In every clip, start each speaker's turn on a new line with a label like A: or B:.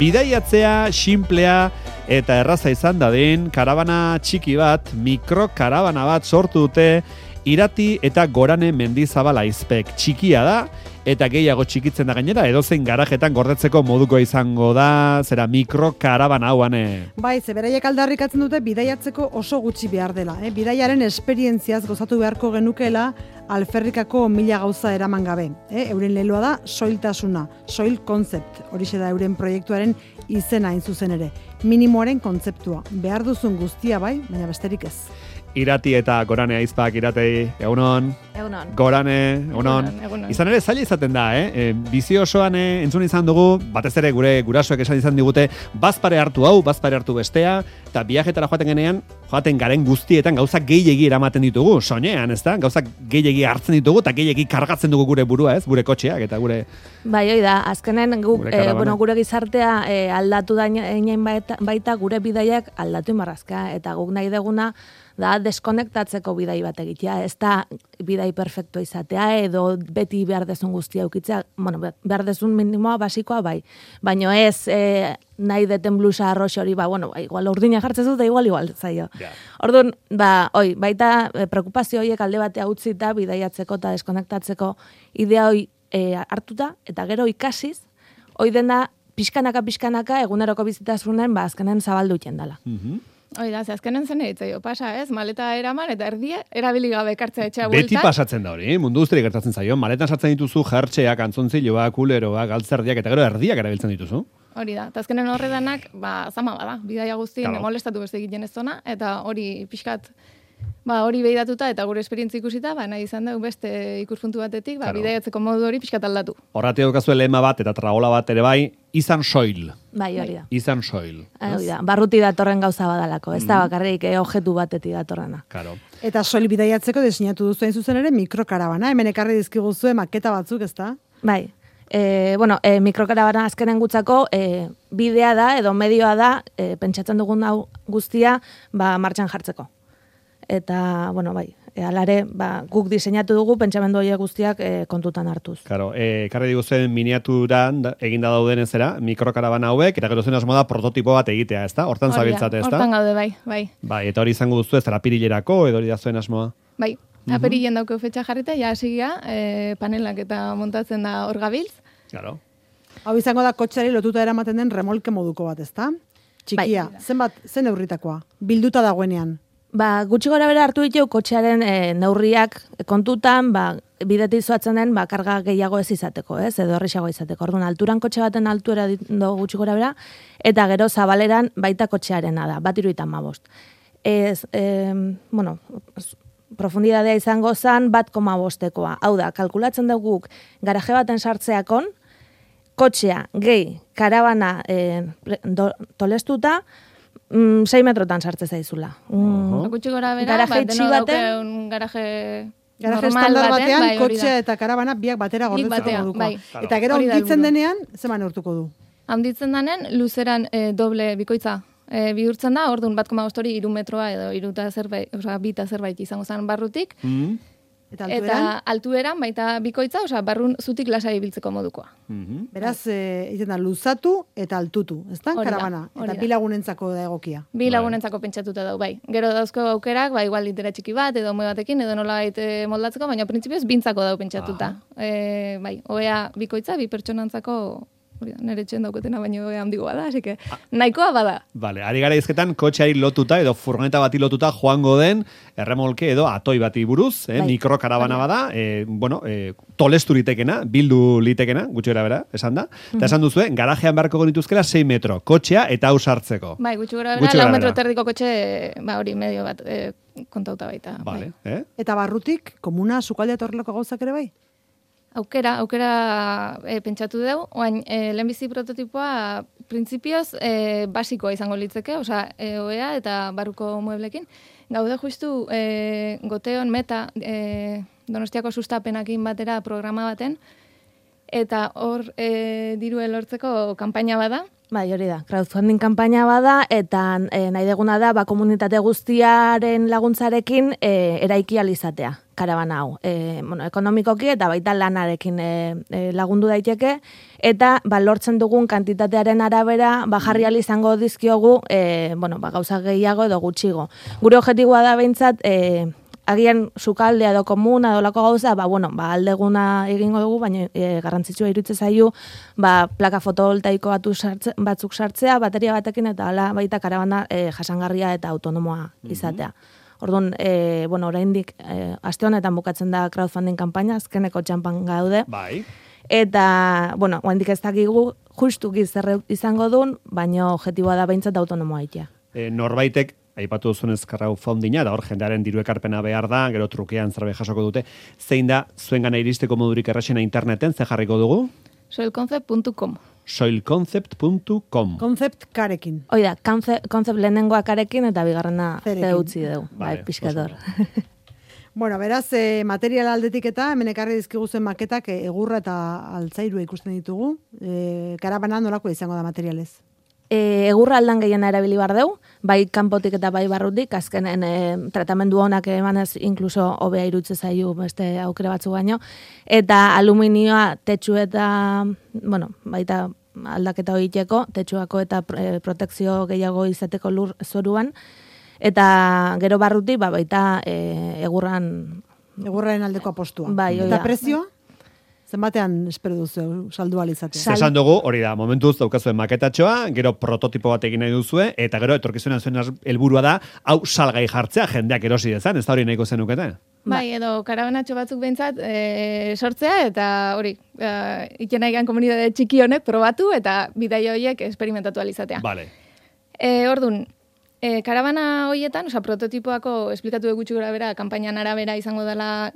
A: Bidaiatzea, xinplea eta erraza izan dadin, karabana txiki bat, mikrokarabana bat sortu dute Irati eta Gorane Mendizabal aizpek. Txikia da, eta gehiago txikitzen da gainera, edozein garajetan gordetzeko moduko izango da, zera mikrokarabana hauan.
B: Bai, ze beraiek aldarrikatzen dute bidaiatzeko oso gutxi behar dela. Bidaiaren esperientziaz gozatu beharko genukeela alferrikako 1000 gauza eraman gabe. Euren leloa da soiltasuna, soil concept, horixe da euren proiektuaren izena hain zuzen ere. Minimoaren kontzeptua, behar duzun guztia bai, baina besterik ez.
A: Irati eta Gorane aizpak, Iratei, egunon.
C: Egunon.
A: Gorane, egunon. Izan ere, zaila izaten da, bizi osoan entzun izan dugu, batez ere gure gurasoek esan izan digute, bazpare hartu hau, bazpare hartu bestea, eta viajetara joaten garen guztietan gauzak gehiegi eramaten ditugu, soinean, ez da? Gauzak gehiegi hartzen ditugu, eta gehiegi kargatzen dugu gure burua, ez? Gure kotxeak eta gure...
C: Bai, hoi da, azkenen gure gizartea aldatu da baita gure bidaiak aldatu imarrazka, eta guk nahi deguna da deskonektatzeko bidai bat egitea, ez da bidai perfektua izatea, edo beti behar dezun guztia ukitzea, bueno, behar dezun minimoa basikoa bai, baino ez nahi deten blusa arrox hori, igual urdina jartzen dut, igual zaio. Yeah. Orduan, baita preokupazio horiek alde batea utzita bidaiatzeko eta deskonektatzeko idea hori hartuta, eta gero ikasiz, hori dena pixkanaka eguneroko bizitasunen, azkenen zabaldu dela.
D: Hoi da, azkenen zen egitzaio, pasa ez, maleta eraman eta erdia erabili gabe kartzea etxea bueltan.
A: Beti pasatzen da hori, mundu guztirik gertatzen zaio, maletan sartzen dituzu jertxeak, antzontziloak, kuleroak, galtzerdiak eta gero erdiak erabiltzen dituzu.
D: Hori da, eta azkenen horredanak, zama bada, bidaia guztien molestatu beste egiten ez zona, eta hori pixkat, hori behidatuta eta gure esperientzi ikusita, nahi izan dugu beste ikuspuntu batetik, bidaiatzeko modu hori pixkat aldatu.
A: Horratik daukazu lema bat eta tragola bat ere bai, izan soil.
C: Bai, hori da.
A: Izan soil.
C: Hori da, barruti datorren gauza badalako, ez da bakarrik objektu batetik datorrena.
A: Claro.
B: Eta soil bidaiatzeko diseinatu duzu hain zuzen ere mikrokarabana, hemen ekarri dizkiguzue maketa batzuk, ez da?
C: Bai. Mikrokarabana azkenen gutzako bidea da edo medioa da pentsatzen dugun hau guztia martxan jartzeko. Eta, alare, guk diseinatu dugu pentsamendu horiek guztiak kontutan hartuz.
A: Claro, karri diguzen miniaturan eginda dauden ezera, mikrokarabana hauek, eta gero zen asmo da prototipo bat egitea, ezta? Hortan zabiltzate, ezta?
D: Hortan gaude, bai.
A: Bai, eta hori izango duzu ez apirilerako, edo hori da zuen asmoa?
D: Bai, apirilen dauke fetxa jarrita, ja hasigia, panelak eta montatzen da hor gabiltz.
A: Claro.
B: Hau izango da kotxeari lotuta eramaten den remolke moduko bat, ezta? Txikia, zen neurritakoa, bilduta dagoenean.
C: Gutxi gora bera hartu ditu kotxearen neurriak kontutan, bidetik zoatzen den karga gehiago ez izateko, edo horrexago izateko. Orduan, alturan kotxe baten altuera do gutxi gora bera, eta gero zabaleran baita kotxearena da, 1,75. Profundidadea izango zen 1,5. Hau da, kalkulatzen dugu garaje baten sartzeakon, kotxea, gehi, karabana tolestuta, 6 metrotan sartze zaizula.
D: Gutxi gora bera, garaje
B: estandar batean, kotxea eta karabana biak batera gordetzeko moduko. Eta gero handitzen denean, zeman neurtuko du?
D: Handitzen denean, luzeran doble bikoitza bihurtzen da, orduan 1,5 hori 3 metroa edo 2 zerbait izango zen barrutik. Eta altueran baita bikoitza, barrun zutik lasai ibiltzeko modukoa.
B: Beraz, izan da, luzatu eta altutu, ez da, karabana? Eta bi lagunentzako da egokia.
D: Bi lagunentzako pentsatuta dau, bai. Gero dauzko aukerak, igual litera txiki bat, edo moe batekin, edo nola moldatzeko, baina printzipioz bintzako dau pentsatuta. Bai, oea bikoitza, bi pertsonantzako nire txen dauketena baino handigoa da, así que nahikoa bada.
A: Vale, ari gara izketan kotxeari lotuta edo furgoneta bati lotuta joango den erremolke edo atoi bati buruz, mikrokarabana bada, tolestu litekena, bildu litekena, gutxi gara bera, esan da. Eta esan duzue, garajean beharko genituzkela 6 metro, kotxea eta hau sartzeko.
D: Bai, gutxi gara bera, 4 metro terdiko kotxe, hori medio bat kontauta baita.
A: Vale,
B: Eta barrutik, komuna, sukaldea torreloko gauzak ere bai?
D: Aukera pentsatu dugu, oain lehenbizi prototipoa printzipioz basikoa izango litzeke, oea eta barruko mueblekin. Gaude justu Goteon Meta Donostiako sustapenakin batera programa baten, eta hor dirua lortzeko kanpaina bada.
C: Bai, hori da, crowdfunding kanpaina bada, eta nahi deguna da, komunitate guztiaren laguntzarekin eraiki alizatea, karabana hau. Ekonomikoki eta baita lanarekin lagundu daiteke, eta lortzen dugun kantitatearen arabera, jarri izango dizkiogu, gauza gehiago edo gutxigo. Gure objektiboa da behintzat, agian sukaldea edo komuna edo lako gauza, aldeguna egingo dugu, baina garrantzitsua iruditzen zaiu, plaka fotovoltaiko batzuk sartzea, bateria batekin eta hala baita karabana jasangarria eta autonomoa izatea. Orduan, oraindik aste honetan bukatzen da crowdfunding kanpaina, azkeneko txanpan gaude.
A: Bai.
C: Eta, oraindik ez dakigu justuki zer izango duen, baina objektiboa da behintzat autonomoa itea.
A: Norbaitek aipatu duzunez crowdfundinga, da hor jendearen diru ekarpena behar da, gero trukean zerbait jasoko dute. Zein da, zuengana iristeko modurik erraxena interneten, ze jarriko dugu?
D: Soilconcept.com.
A: Soilconcept.com.
B: Concept karekin.
C: Hoi da, concept lehenengoa karekin eta bigarrena zeutzi dugu. Bai, pixkator.
B: Beraz, material aldetik eta hemen ekarri dizkiguzen maketak egurra eta altzairua ikusten ditugu. Karabana nolako izango da materialez?
C: Egurra aldan gehiena erabili bar deu, bai kanpotik eta bai barrutik, azkenen tratamendu honak emanez inkluso hobea irutze zaiu beste aukera batzu baino, eta aluminioa tetsu eta, baita aldaketa horieteko, tetsuako eta protekzio gehiago izateko lur zoruan, eta gero barrutik baita
B: egurraren aldeko apostua.
C: Bai,
B: eta prezioa? Zenbatean espero duzu saldu alizatea?
A: Esan dugu, hori da, momentuz daukazuen maketatxoa, gero prototipo bat egin nahi duzue, eta gero etorkizunean zuen helburua da, hau salgai jartzea jendeak erosi dezan, ez da hori nahiko zenukete?
D: Bai, edo karabanatxo batzuk behintzat sortzea, eta hori, iken nahi komunitate txiki honek probatu, eta bidai horiek esperimentatu alizatea.
A: Vale.
D: Ordun, karabana horietan, prototipoako esplikatu gutxi gora bera, kanpainan arabera izango dela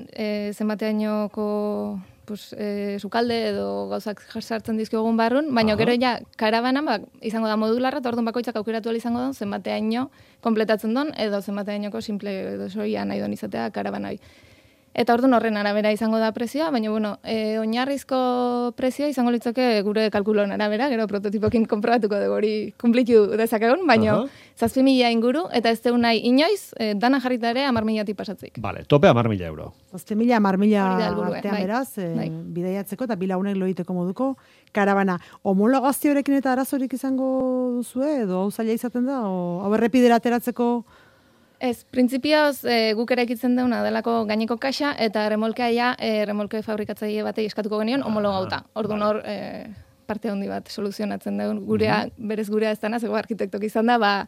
D: zenbateainoko sukalde edo gauzak sartzen dizkiogun barrun, baina gero ja karabana izango da modularra, eta orduan bakoitzak aukeratu izango da zenbateaino kompletatzen don, edo zenbateainoko simple edo soia nahi don izatea karabanai. Eta orduan horren arabera izango da prezioa, baina oinarrizko prezioa izango litzake gure kalkuloan arabera, gero prototipokin konprobatuko dugu hori kumplitu dezakegun, baina 7.000 inguru, eta ez deun nahi inoiz, dana jarrita ere 10.000 pasatzik.
A: Vale, tope 10.000 euro.
B: 7.000, 10.000 artean beraz, bidaiatzeko eta bilaunek loiteko moduko karabana. Homologazioarekin eta arazorik izango duzue, edo hau zaila izaten da, hau errepidera ateratzeko?
D: Ez, printzipioz guk eraikitzen deuna delako gaineko kaxa, eta remolkea remolke fabrikatzaile batei eskatuko genion homologauta. Orduan hor parte handi bat soluzionatzen dugu gurea, berez gurea ez dana, zego arkitektok izan da,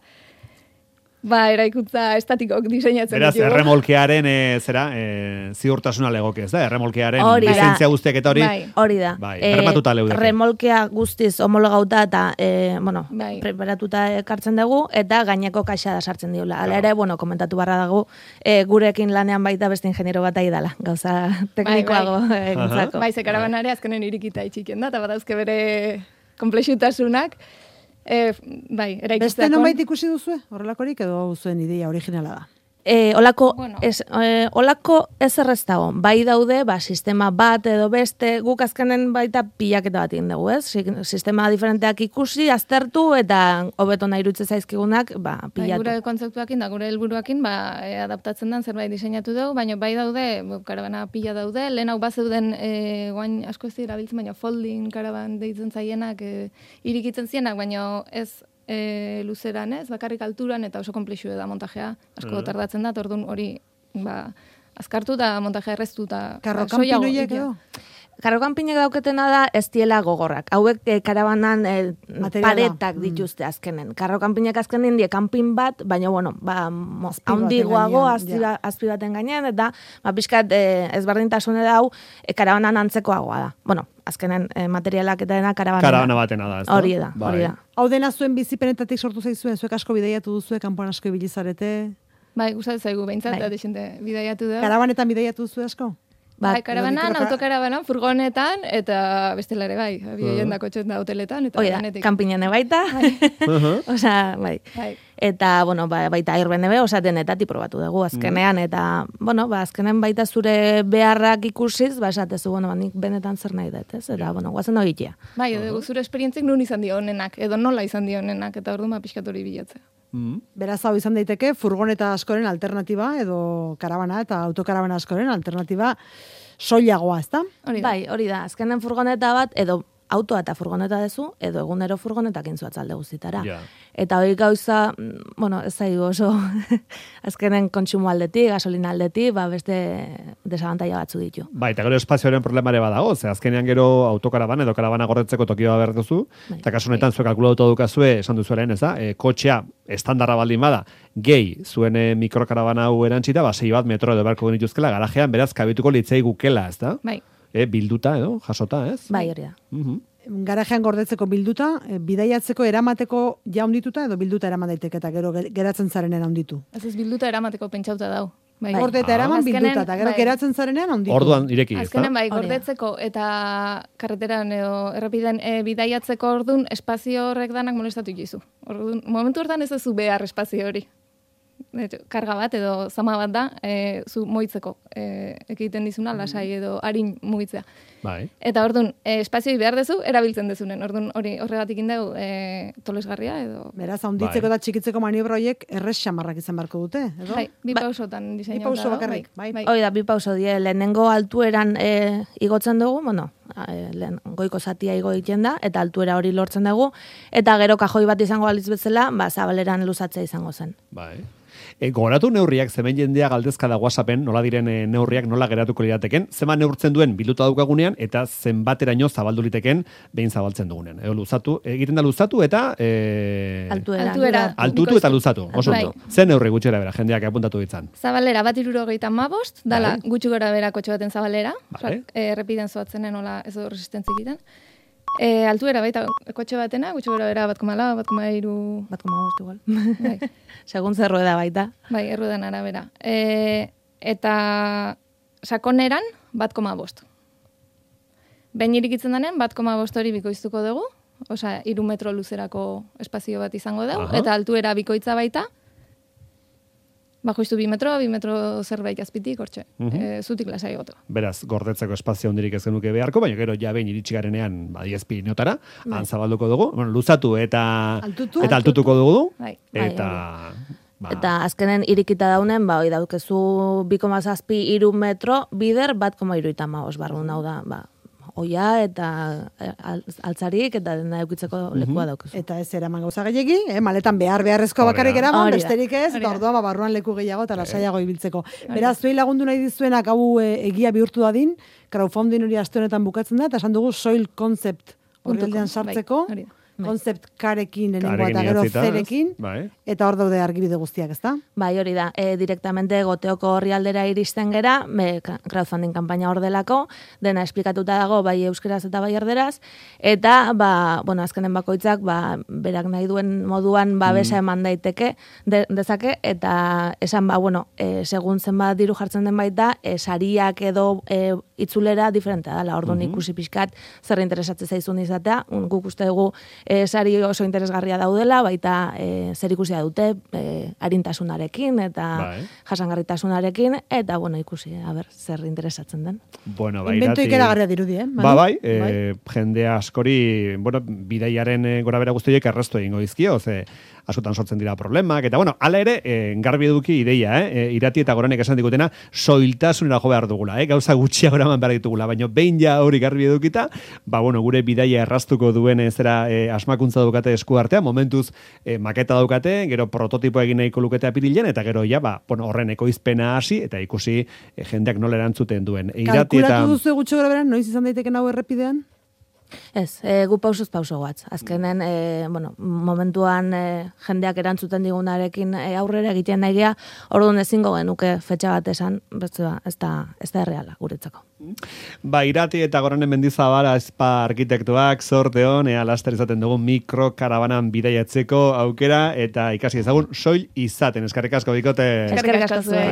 D: eraikuntza estatikok diseinatzen
A: ditugu. Beraz, erremolkearen ziurtasuna legoke, ez da? Erremolkearen lizentzia guztiak eta hori.
C: Hori da.
A: Bermatuta leudeke.
C: Remolkea guztiz homologauta eta, preparatuta ekartzen dugu, eta gaineko kaxa da sartzen diula. Hala ere, komentatu barra dago, gurekin lanean baita beste ingeniero bat ari dela, gauza teknikoago egintzako.
D: Bai, ze karabanare azkenen irikita itxiken da, eta badauzke bere komplexutasunak.
B: Beste nonbait ikusi duzue? Horrelakorik edo zuen ideia originala da?
C: Olako ez erreztago. Bai daude, sistema bat edo beste, guk azkenen baita pilaketa bat egin dugu, ez? Sistema diferenteak ikusi, aztertu, eta hobeto nahi irutze zaizkigunak, pilatu.
D: Gure kontzeptuakin da, gure helburuakin, adaptatzen den zerbait diseinatu dugu, baina bai daude, karabana pila daude, lehen hau bazeuden, guain asko ez dira biltzen, baina folding karaban deitzen zaienak, irikitzen zienak, baina ez luzeran, ez, bakarrik alturan eta oso komplexu da montajea, asko tardatzen da, orduan hori azkartu da montajea erreztu eta
B: karrokanpinoiek edo?
C: Karrokanpinek dauketena da ez diela gogorrak. Hauek karabanan paretak dituzte azkenen. Karrokanpinek azkenen die kanpin bat, baina handigoago azpi baten gainean, eta pixkat ezberdintasune da hau karabanan antzekoagoa da. Azkenen materialak eta dena karabana
A: batena da.
C: Hori da.
B: Hau dena zuen bizipenetatik sortu zaizuen, zuek asko bidaiatu duzue, kanpoan asko ibilizarete?
D: Bai, gustatzen zaigu behintzat, eta desente bidaiatu da.
B: Karabanetan bidaiatu duzu asko?
D: Bai, karabanan, autokarabanan, furgonetan, eta bestelare bai, abioien kotxen da hoteletan, eta
C: denetik. Kanpinan baita, osea, bai. Eta, bueno, baita Airbnb, osea, denetatik probatu dugu azkenean, eta, bueno, azkenen baita zure beharrak ikusiz, esatezu, bueno, nik benetan zer nahi dut, ez? Eta, bueno, guazen hogitea.
D: Bai, edo zure esperientzik nun izan dio honenak, edo nola izan dio honenak, eta orduan pixkat hori bilatzea.
B: Beraz, hau izan daiteke, furgoneta askoren alternatiba, edo karabana eta autokarabana askoren alternatiba soilagoa, ezta?
C: Bai, hori da, azkenen furgoneta bat, edo autoa eta furgoneta dezu, edo egunero furgonetak intzuatz alde guztitara. Eta hori gauza, bueno, ez zaigu oso, azkenen kontsumo aldetik, gasolina aldetik, beste desabantaia batzu ditu.
A: Bai, eta gero espazioaren problemare badago, ze azkenean gero autokaraban edo karabana gordetzeko tokioa behar duzu, eta kasunetan zuek kalkulatu dukazue, esan duzuaren, ez da, kotxea estandarra baldin bada, gehi zuen mikrokarabana hau erantzita, 6 metro edo beharko genituzkela, garajean beraz kabituko litzei gukela, ez da?
D: Bai.
A: Bilduta edo, jasota, ez?
C: Bai, hori da.
B: Garajean gordetzeko bilduta, bidaiatzeko eramateko ja ondituta edo bilduta eraman daiteke eta gero geratzen zarenean onditu.
D: Ez bilduta eramateko pentsauta dau.
B: Bai. Gordeta eraman bilduta eta gero geratzen zarenean onditu.
A: Orduan ireki, ez da?
D: Azkenen bai, gordetzeko eta karreteran edo errepiden bidaiatzeko ordun espazio horrek danak molestatu jizu. Orduan, momentu hortan ez duzu behar espazio hori. Karga bat edo zama bat da, zu moitzeko ekiten dizuna, lasai edo harin mugitzea.
A: Bai.
D: Eta orduan, espazioi behar dezu, erabiltzen dezunen. Orduan, horregatik indegu tolesgarria edo...
B: Beraz, handitzeko eta txikitzeko maniobra horiek errez xamarrak izan barko dute, edo?
D: Bai, bi pausotan diseinatu.
B: Bi pauso bakarrik, bai.
C: Hoi da, bi pauso die, lehenengo altueran igotzen dugu, bueno, goiko zatia igo egiten da, eta altuera hori lortzen dugu, eta gero kajoi bat izango balitz bezala, zabaleran luzatzea izango zen.
A: Bai. Gogoratu neurriak, zemen jendea galdezka da WhatsAppen, nola diren neurriak nola geratuko lirateken, zema neurtzen duen bilduta daukagunean, eta zenbateraino zabaldu liteken behin zabaltzen dugunean. Luzatu, egiten da luzatu eta... Altutu eta luzatu. Oso ondo. Zen neurri gutxera bera, jendeak apuntatu ditzan.
D: Zabalera, 1,75, dala gutxi gora bera kotxe baten zabalera, errepiden zoatzenen nola ez du resistentzik egiten. Altuera baita kotxe batena, gutxi gora bera 1,4, 1,3...
C: 1,5 igual. Segun zer rueda baita.
D: Bai, erruedan arabera. Eta sakoneran 1,5. Behin irikitzen denean 1,5 hori bikoiztuko dugu, osea 3 metro luzerako espazio bat izango dugu, eta altuera bikoitza baita, bajoiztu 2 metro zerbait azpitik, hortxe, zutik lasai goto.
A: Beraz, gordetzeko espazio hondirik ez genuke beharko, baina gero ja behin iritsi garenean 10 pinotara, zabalduko dugu, bueno, luzatu eta altutuko dugu, eta...
C: Eta azkenen irikita daunen, hoi daukezu 2,7 metro, bider 1,75 barrun hau da, oia eta altzarik eta dena eukitzeko lekua daukezu.
B: Eta ez eraman gauza gehiagi, maletan beharrezko bakarrik eraman, besterik ez, eta orduan barruan leku gehiago eta lasaiago ibiltzeko. Beraz, zuei lagundu nahi dizuenak hau egia bihurtu dadin, crowdfunding hori aste honetan bukatzen da, eta esan dugu soil concept horreldean sartzeko, concept karekin lehenengoa eta gero zerekin, eta hor daude argibide guztiak, ezta?
C: Bai, hori da, direktamente Goteoko orrialdera iristen gera, crowdfunding kanpaina hor delako, dena esplikatuta dago, bai euskeraz eta bai erderaz, eta, bueno, azkenen bakoitzak, berak nahi duen moduan, besa eman daiteke, dezake, eta esan, bueno, segun zenbat diru jartzen den baita, sariak edo itzulera diferentea dela, orduan ikusi pixkat, zer interesatzen zaizun izatea, guk uste dugu, sari oso interesgarria daudela, baita zer ikusia dute arintasunarekin eta jasangarritasunarekin, eta bueno, ikusi, zer interesatzen den.
A: Bueno,
B: invento ikeragarria dirudi,
A: Bai, jende askori, bueno, bidaiaren gora bera guztiek erraztu egingo dizkio, askotan sortzen dira problemak, eta bueno, hala ere, garbi eduki ideia, Irati eta Goranek esan digutena, soiltasunera jo behar dugula, gauza gutxiago eraman behar ditugula, baina behin ja hori garbi edukita, bueno, gure bidaia erraztuko duen zera asmakuntza daukate esku artean, momentuz maketa daukate, gero prototipo egin nahiko lukete apirilen, eta gero ja, bueno, horren ekoizpena hasi, eta ikusi jendeak nola erantzuten duen.
B: Kalkulatu duzu gutxo gara beran, noiz izan daiteken hau errepidean?
C: Ez, gu pausuz pauso guatz. Azkenen, bueno, momentuan jendeak erantzuten digunarekin aurrera egiten nahi gea, orduan ezingo genuke fetxa bat esan, ez da erreala guretzako.
A: Irati eta Goranen Mendizabal arkitektuak sorte hon, laster izaten dugu mikrokarabanan bidaiatzeko aukera, eta ikasi ezagun soil izaten. Eskerrik asko bikote.
C: Eskerrik asko zuen.